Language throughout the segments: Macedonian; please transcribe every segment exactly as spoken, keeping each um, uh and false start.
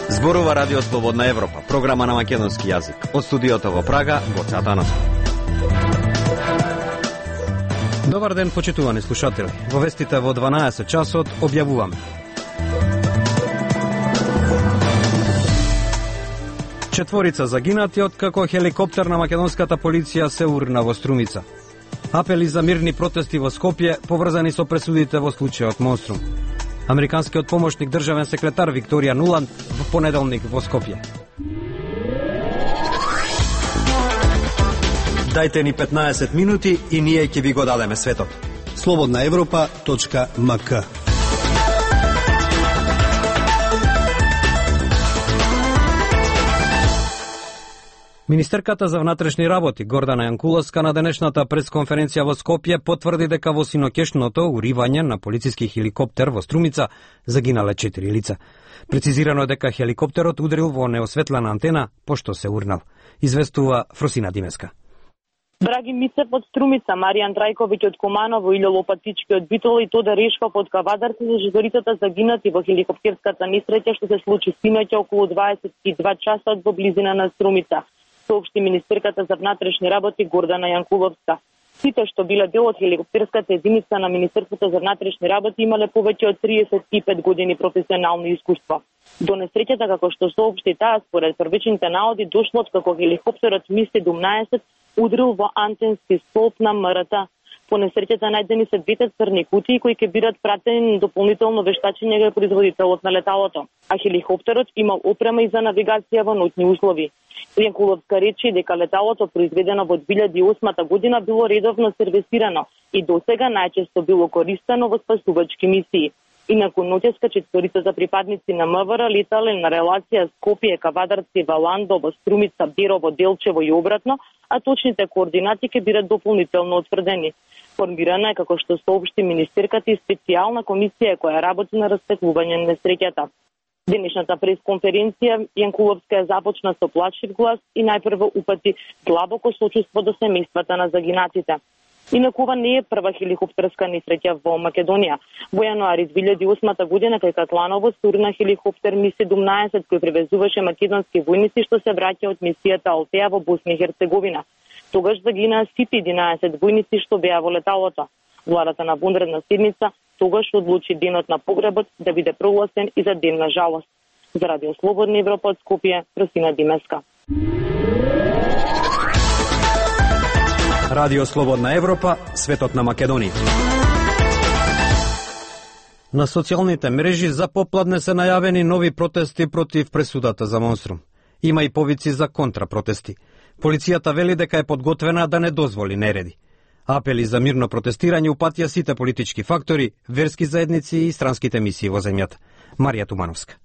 Зборува Радио Слободна Европа, програма на македонски јазик. Од студиото во Прага, Гоце Атанасов. Добар ден, почитувани слушатели. Во вестите во дванаесет часот објавуваме. Четворица загинати откако хеликоптер на македонската полиција се урна во Струмица. Апели за мирни протести во Скопје поврзани со пресудите во случајот Монструм. Американскиот помошник државен секретар Викторија Нуланд во понеделник во Скопје. Дајте ни петнаесет минути и ние ќе ви го дадеме светот. слободна европа точка ем ка. Министерката за внатрешни работи Гордана Јанкуловска на денешната пресконференција во Скопје потврди дека во синокешното уривање на полициски хеликоптер во Струмица загинале четири лица. Прецизирано е дека хеликоптерот удрил во неосветлена антена пошто се урнал. Известува Фросина Димеска. Драги Мицев од Струмица, Маријан Трајковиќ од Команово, Илјо Лопатички од Битола и Тода Решков од Кавадарци за четворицата загинати во хеликоптерската несреќа што се случи синоќа околу дваесет и два часот во близина на Струмица, соопшти министерката за внатрешни работи Гордана Јанкуловска. Сите што биле дел од хеликоптерската единица на Министерството за внатрешни работи имале повеќе од триесет и пет години професионално искуство. До несреќата, како што соопшти таа, според првичните наоди, дошло од како хеликоптерот Ми седумнаесет удрил во антенски столб на М Р Т. По несреќата најдени се двете црни кутии кои ќе бидат пратени на дополнително вештачење кај производителот на леталото, а хеликоптерот имал опрема и за навигација во ноќни услови. Јанкуловска рече дека леталото произведено во две илјади и осма година било редовно сервисирано и досега најчесто било користено во спасувачки мисии. Инаку ноќеска четворица за припадници на М В Р летале на релација Скопје, Кавадарци, Валандо, во Струмица, Берово, Делчево и обратно, а точните координати ќе бидат дополнително утврдени. Формирана е, како што соопшти министерката, и специјална комисија која работи на расветлување на несреќата. Денешната пресконференција Јанкуловска ја започна со плачлив глас и најпрво упати длабоко сочувство до семејствата на загинатите. Инаку ова не е прва хеликоптерска несреќа во Македонија. Во јануари две илјади и осма година кај Катланово се урна хеликоптер Ми седумнаесет кој превезуваше македонски војници што се враќа од мисијата Алтеа во Босна и Херцеговина. Тогаш загинаа сите единаесет војници што беа во леталото. Владата на вонредна седница тогаш одлучи денот на погребот да биде прогласен и за ден на жалост. За Радио Слободна Европа од Скопје, Росина Димеска. Радио Слободна Европа, светот на Македонија. На социјалните мрежи за попладне се најавени нови протести против пресудата за Монструм. Има и повици за контрапротести. Полицијата вели дека е подготвена да не дозволи нереди. Апели за мирно протестирање упатија сите политички фактори, верски заедници и странските мисии во земјата. Марија Тумановска.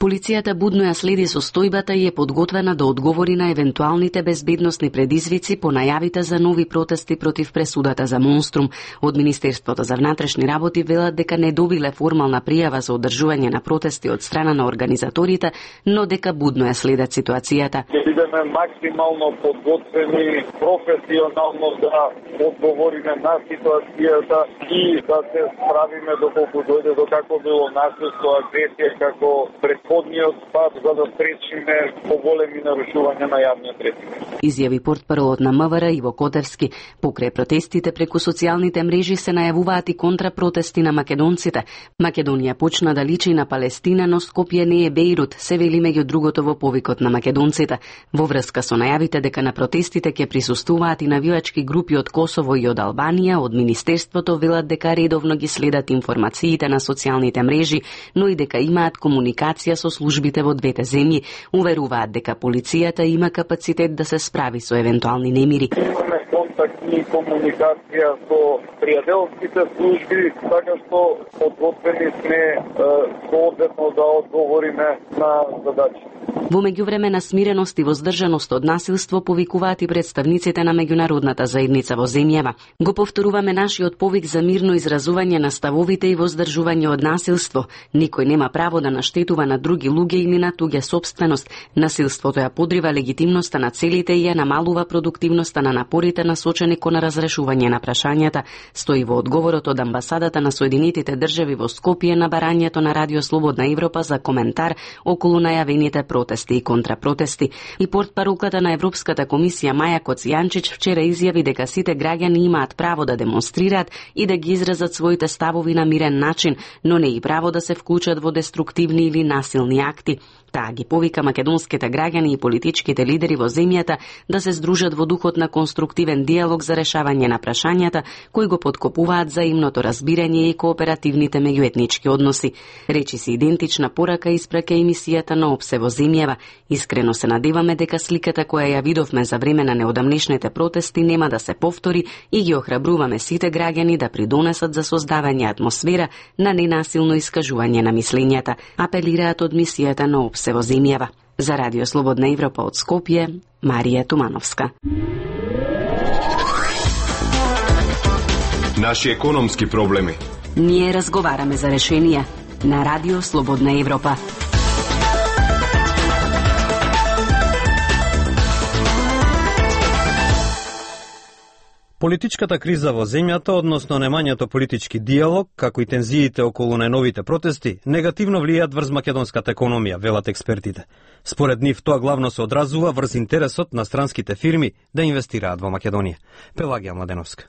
Полицијата будно ја следи состојбата и е подготвена да одговори на евентуалните безбедносни предизвици по најавите за нови протести против пресудата за Монструм. Од Министерството за внатрешни работи велат дека не добиле формална пријава за одржување на протести од страна на организаторите, но дека будно ја следат ситуацијата. Ќе бидеме максимално подготвени, професионално да одговориме на ситуацијата и да се справиме доколку дојде до како било насилство, агресија, како предходниот пат, за да спречиме поголеми нарушувања на јавниот ред. Изјави портпаролот на М В Р Иво Котевски. Покрај протестите преку социјалните мрежи се најавуваат и контрапротести на македонците. Македонија почна да личи на Палестина, но Скопје не е Бејрут, се вели меѓу другото во повикот на македонците. Во врска со најавите дека на протестите ќе присуствуваат и навијачки групи од Косово и од Албанија, од Министерството велат дека редовно ги следат информациите на социјалните мрежи, но и дека имаат комуникација со службите во двете земји. Уверуваат дека полицијата има капацитет да се справи со евентуални немири. Имаме контактни и комуникација со пријателските служби, така што подготвени сме соодветно да одговориме на задачи. Во меѓувреме на смиреност и воздржаност од насилство повикуваат и представниците на меѓународната заедница во земјава. Го повторуваме нашиот повик за мирно изразување на ставовите и воздржување од насилство. Никој нема право да наштетува на други луѓе или на туѓа сопственост. Насилството ја подрива легитимноста на целите и ја намалува продуктивноста на напорите насочени кон разрешување на прашањата, стои во одговорот од амбасадата на Соединетите држави во Скопје на барањето на Радио Слободна Европа за коментар околу најавените протести и контрапротести. И портпаролката на Европската комисија Маја Коцијанчич вчера изјави дека сите граѓани имаат право да демонстрираат и да ги изразат своите ставови на мирен начин, но не и право да се вклучат во деструктивни или насилни акти. Таа ги повика македонските граѓани и политичките лидери во земјата да се здружат во духот на конструктивен диалог за решавање на прашањата кои го поткопуваат заимното разбирање и кооперативните меѓуетнички односи. Речи се идентична порака испраќа емисијата на Опсе во земјава. Искрено се надеваме дека сликата која ја видовме за време на неодамнешните протести нема да се повтори и ги охрабруваме сите граѓани да придонесат за создавање атмосфера на ненасилно искажување на мислењата, апелираат од мисијата на Опсе во земјава. За Радио Слободна Европа од Скопје, Марија Тумановска. Наши економски проблеми. Ние разговараме за решенија на Радио Слободна Европа. Политичката криза во земјата, односно немањето политички диалог, како и тензиите околу најновите протести, негативно влијаат врз македонската економија, велат експертите. Според нив тоа главно се одразува врз интересот на странските фирми да инвестираат во Македонија. Пелагија Младеновска.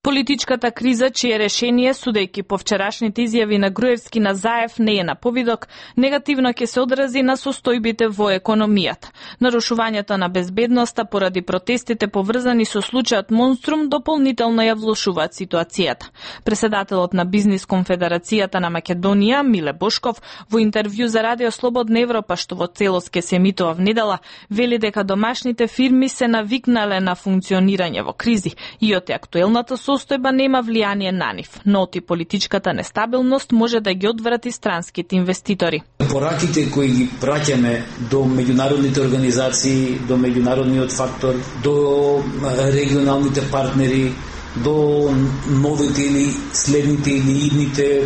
Политичката криза, чие решение, судејќи по вчерашните изјави на Груевски на Заев, не е на повидок, негативно ќе се одрази на состојбите во економијата. Нарушувањето на безбедноста поради протестите поврзани со случајот Монструм дополнително ја влошуваат ситуацијата. Преседателот на Бизнис конфедерацијата на Македонија, Миле Бошков, во интервју за Радио Слободна Европа, што во целост ќе се емитува внедела, вели дека домашните фирми се навикнале на функционирање во кризи и од актуелната состојба нема влијание на нив, но и политичката нестабилност може да ги одврати странските инвеститори. Пораките кои ги праќаме до меѓународните организации, до меѓународниот фактор, до регионалните партнери, до новите или следните или идните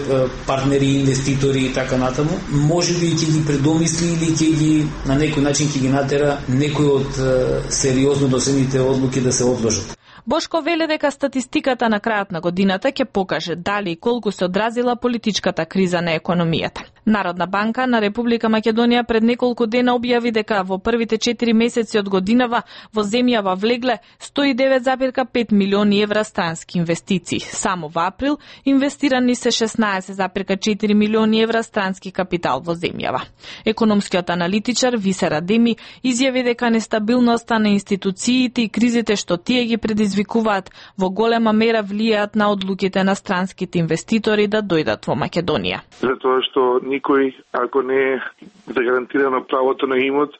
партнери, инвеститори и така натаму, може би ќе ги предомисли или ќе ги на некој начин ќе ги натера некои од сериозно досените одлуки да се одложат. Бошко вели дека статистиката на крајот на годината ќе покаже дали и колку се одразила политичката криза на економијата. Народна банка на Република Македонија пред неколку дена објави дека во првите четири месеци од годинава во земјава влегле сто и девет зарез пет милиони евра странски инвестиции. Само во април инвестирани се шеснаесет зарез четири милиони евра странски капитал во земјава. Економскиот аналитичар Висе Радеми изјави дека нестабилноста на институциите и кризите што тие ги предизвикуваат во голема мера влијаат на одлуките на странските инвеститори да дојдат во Македонија. Затоа што никој, ако не е загарантирано правото на имот,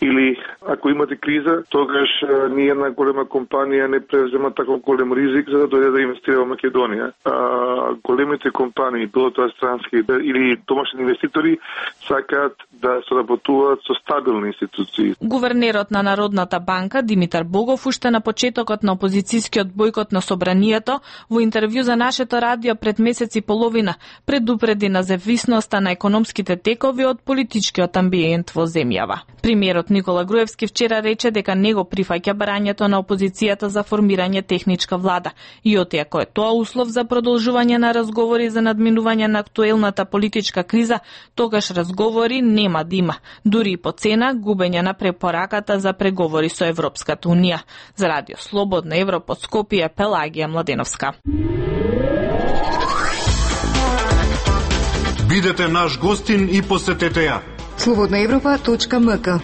или ако имате криза, тогаш ни една голема компанија не презема таков голем ризик за да дојде да инвестира во Македонија. А, големите компании, било тоа странски или домашни инвеститори, сакаат да соработуваат со стабилни институции. Гувернерот на Народната банка Димитар Богов уште на почетокот на опозицијскиот бојкот на собранието во интервју за нашето радио пред месец и половина предупреди на зависноста на економските текови од политичкиот амбиент во земјава. Премиерот Никола Груевски вчера рече дека не го прифаќа барањето на опозицијата за формирање техничка влада и оти ако е тоа услов за продолжување на разговори за надминување на актуелната политичка криза, тогаш разговори нема да има, дури и по цена губење на препораката за преговори со Европската унија. За Радио Слободна Европа од Скопје, Пелагија Младеновска. Бидете наш гостин и посетете ја. слободна европа точка ем ка.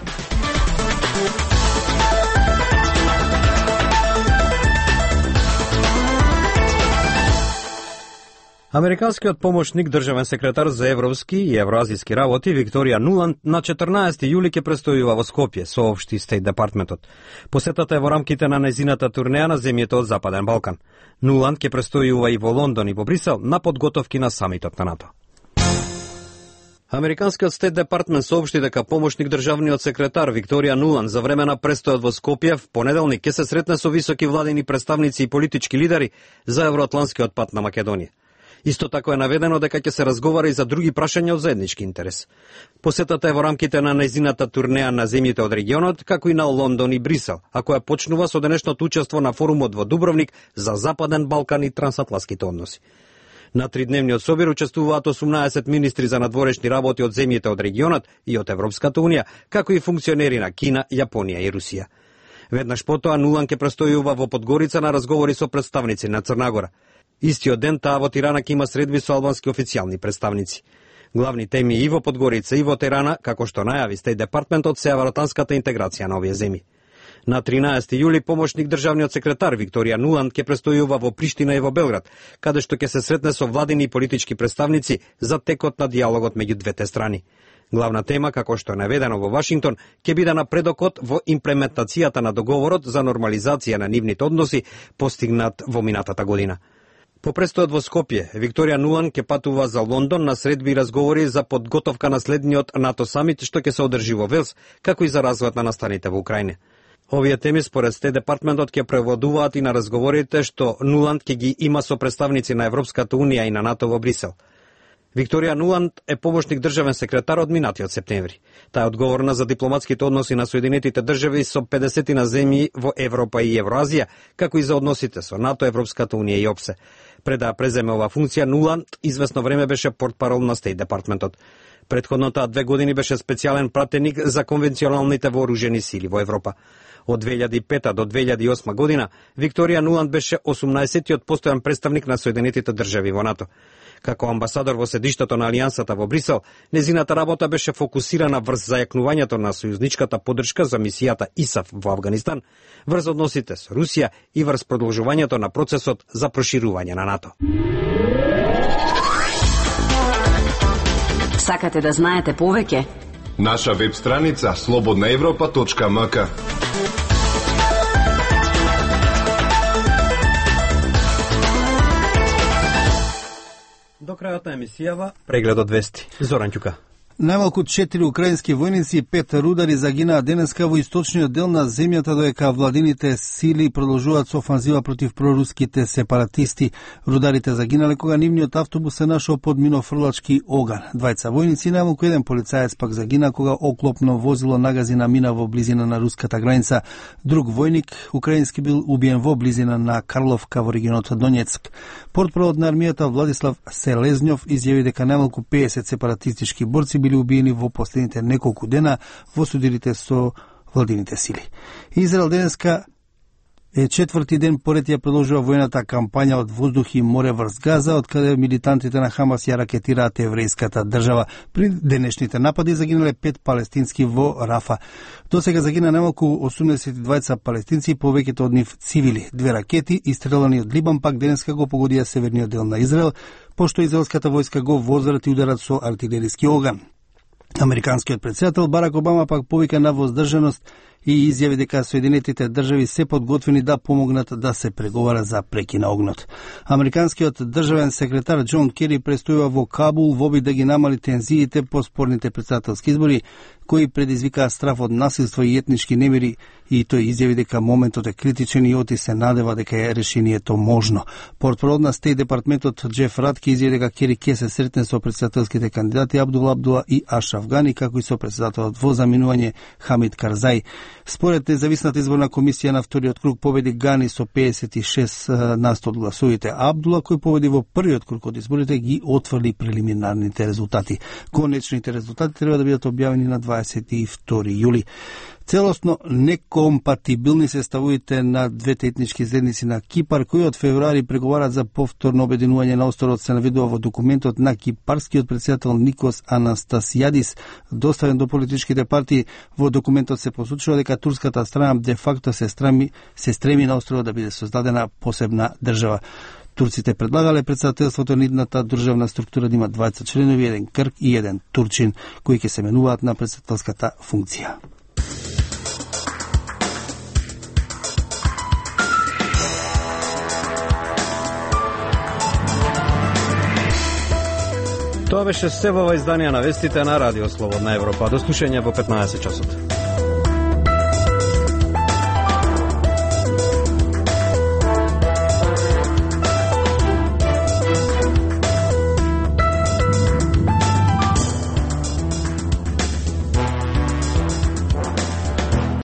Американскиот помошник државен секретар за европски и евроазиски работи Викторија Нуланд на четрнаесети јули ќе престојува во Скопје, соопшти Стейт департментот. Посетата е во рамките на нејзината турнеја на земјите од Западен Балкан. Нуланд ќе престојува и во Лондон и во Брисел на подготовки на самитот на НАТО. Американскиот Стейт Департмент соопшти дека помошник државниот секретар Викторија Нуланд за време на престојот во Скопје в понеделник ќе се сретне со високи владини представници и политички лидери за евроатланскиот пат на Македонија. Исто така е наведено дека ќе се разговара и за други прашања од заеднички интерес. Посетата е во рамките на нејзината турнеја на земјите од регионот, како и на Лондон и Брисел, а која почнува со денешното учество на форумот во Дубровник за Западен Балкан и трансатлантските односи. На тридневниот собир учествуваат осумнаесет министри за надворешни работи од земјите од регионот и од Европската унија, како и функционери на Кина, Јапонија и Русија. Веднаш потоа Нуланд ќе престојува во Подгорица на разговори со представници на Црна Гора. Истиот ден таа во Тирана ќе има средби со албански официјални представници. Главни теми и во Подгорица и во Тирана, како што најави Стейт Департментот, се евроатланската интеграција на овие земји. На тринаесети јули помошник државниот секретар Викторија Нуланд ќе престојува во Приштина и во Белград, каде што ќе се сретне со владини и политички представници за текот на диалогот меѓу двете страни. Главна тема, како што е наведено во Вашингтон, ќе биде напредокот во имплементацијата на договорот за нормализација на нивните односи постигнат во минатата година. По престојот во Скопје, Викторија Нуланд ќе патува за Лондон на средби и разговори за подготовка на следниот НАТО самит што ќе се одржи во Велс, како и за развојот на настаните во Украина. Овие теми според Стейт Департментот ќе преводуваат и на разговорите што Нуланд ќе ги има со представници на Европската унија и на НАТО во Брисел. Викторија Нуланд е помошник државен секретар од минатиот септември. Таа е одговорна за дипломатските односи на Соединетите држави со педесет на земји во Европа и Евроазија, како и за односите со НАТО, Европската унија и ОПСЕ. Пред да преземе оваа функција, Нуланд известно време беше портпарол на Стейт Департментот. Предходно таа две години беше специјален пратеник за конвенционалните вооружени сили во Европа. Од две илјади и пета до две илјади и осма година, Викторија Нуланд беше осумнаесеттиот постојан представник на Соединетите држави во НАТО. Како амбасадор во седиштето на Алијансата во Брисел, незината работа беше фокусирана врз зајакнувањето на сојузничката поддршка за мисијата ИСАФ во Авганистан, врз односите со Русија и врз продолжувањето на процесот за проширување на НАТО. Сакате да знаете повеќе? Наша веб страница слободна европа точка ем ка. До крајот на емисијава, прегледот вести. Зоран Ќука. Најмалку четири украински војници и пет рудари загинаа денеска во источниот дел на земјата, додека владините сили продолжуваат со офанзива против проруските сепаратисти. Рударите загинале кога нивниот автобус се нашол под минофрлачки оган. Двајца војници и најмалку еден полицаец пак загина кога оклопно возило нагази на мина во близина на руската граница. Друг војник украински бил убиен во близина на Карловка во регионот Донецк. Портпаролот на армијата Владислав Селезнјов изјави дека најмалку педесет сепаратистички борци били убиени во последните неколку дена во судирите со владините сили. Израел денеска е четврти ден поред ја продолжува војната кампања од воздух и море врз Газа, од каде милитантите на Хамас ја ракетираат еврејската држава. При денешните напади загинале пет палестински во Рафа. До сега загина најмалку осумдесет и двајца палестинци, повеќето од нив цивили. Две ракети истрелани од Либан пак денеска го погодија северниот дел на Израел, пошто израелската војска го возврати ударат со артилериски оган. Американскиот претседател Барак Обама пак повика на воздржаност и изјави дека Соединетите држави се подготвени да помогнат да се преговара за прекин на огнот. Американскиот државен секретар Џон Кери престојува во Кабул во обид да ги намали тензиите по спорните претседателски избори, кои предизвикаа страф од насилство и етнички немири, и тој изјави дека моментот е критичен и оти се надева дека е решението можно. Портпарол на Стейт Департментот Џеф Ратке изјави дека Кери ќе се сретне со претседателските кандидати Абдул Абдула и Ашраф Гани, како и со претседателот во заминување Хамид Карзај. Според независната изборна комисија на вториот круг победи Гани со педесет и шест насто од гласовите. Абдула, кој победи во првиот круг од изборите, ги отврли прелиминарните резултати. Конечните резултати треба да бидат објавени на дваесет и втори јули. Целосно некомпатибилни се ставовите на двете етнички заедници на Кипар, кои од февруари преговарат за повторно обединување на островот, се наведува во документот на кипарскиот претседател Никос Анастасијадис, доставен до политичките партии. Во документот се посочува дека турската страна де факто се стреми, се стреми на островот да биде создадена посебна држава. Турците предлагале претседателството на идната државна структура да има дваесет членови, еден Грк и еден турчин, кои ќе се менуваат на претседателската функција. Тоа Тоа беше се во ова издание на вестите на Радио Слободна Европа. До слушање во петнаесет часот.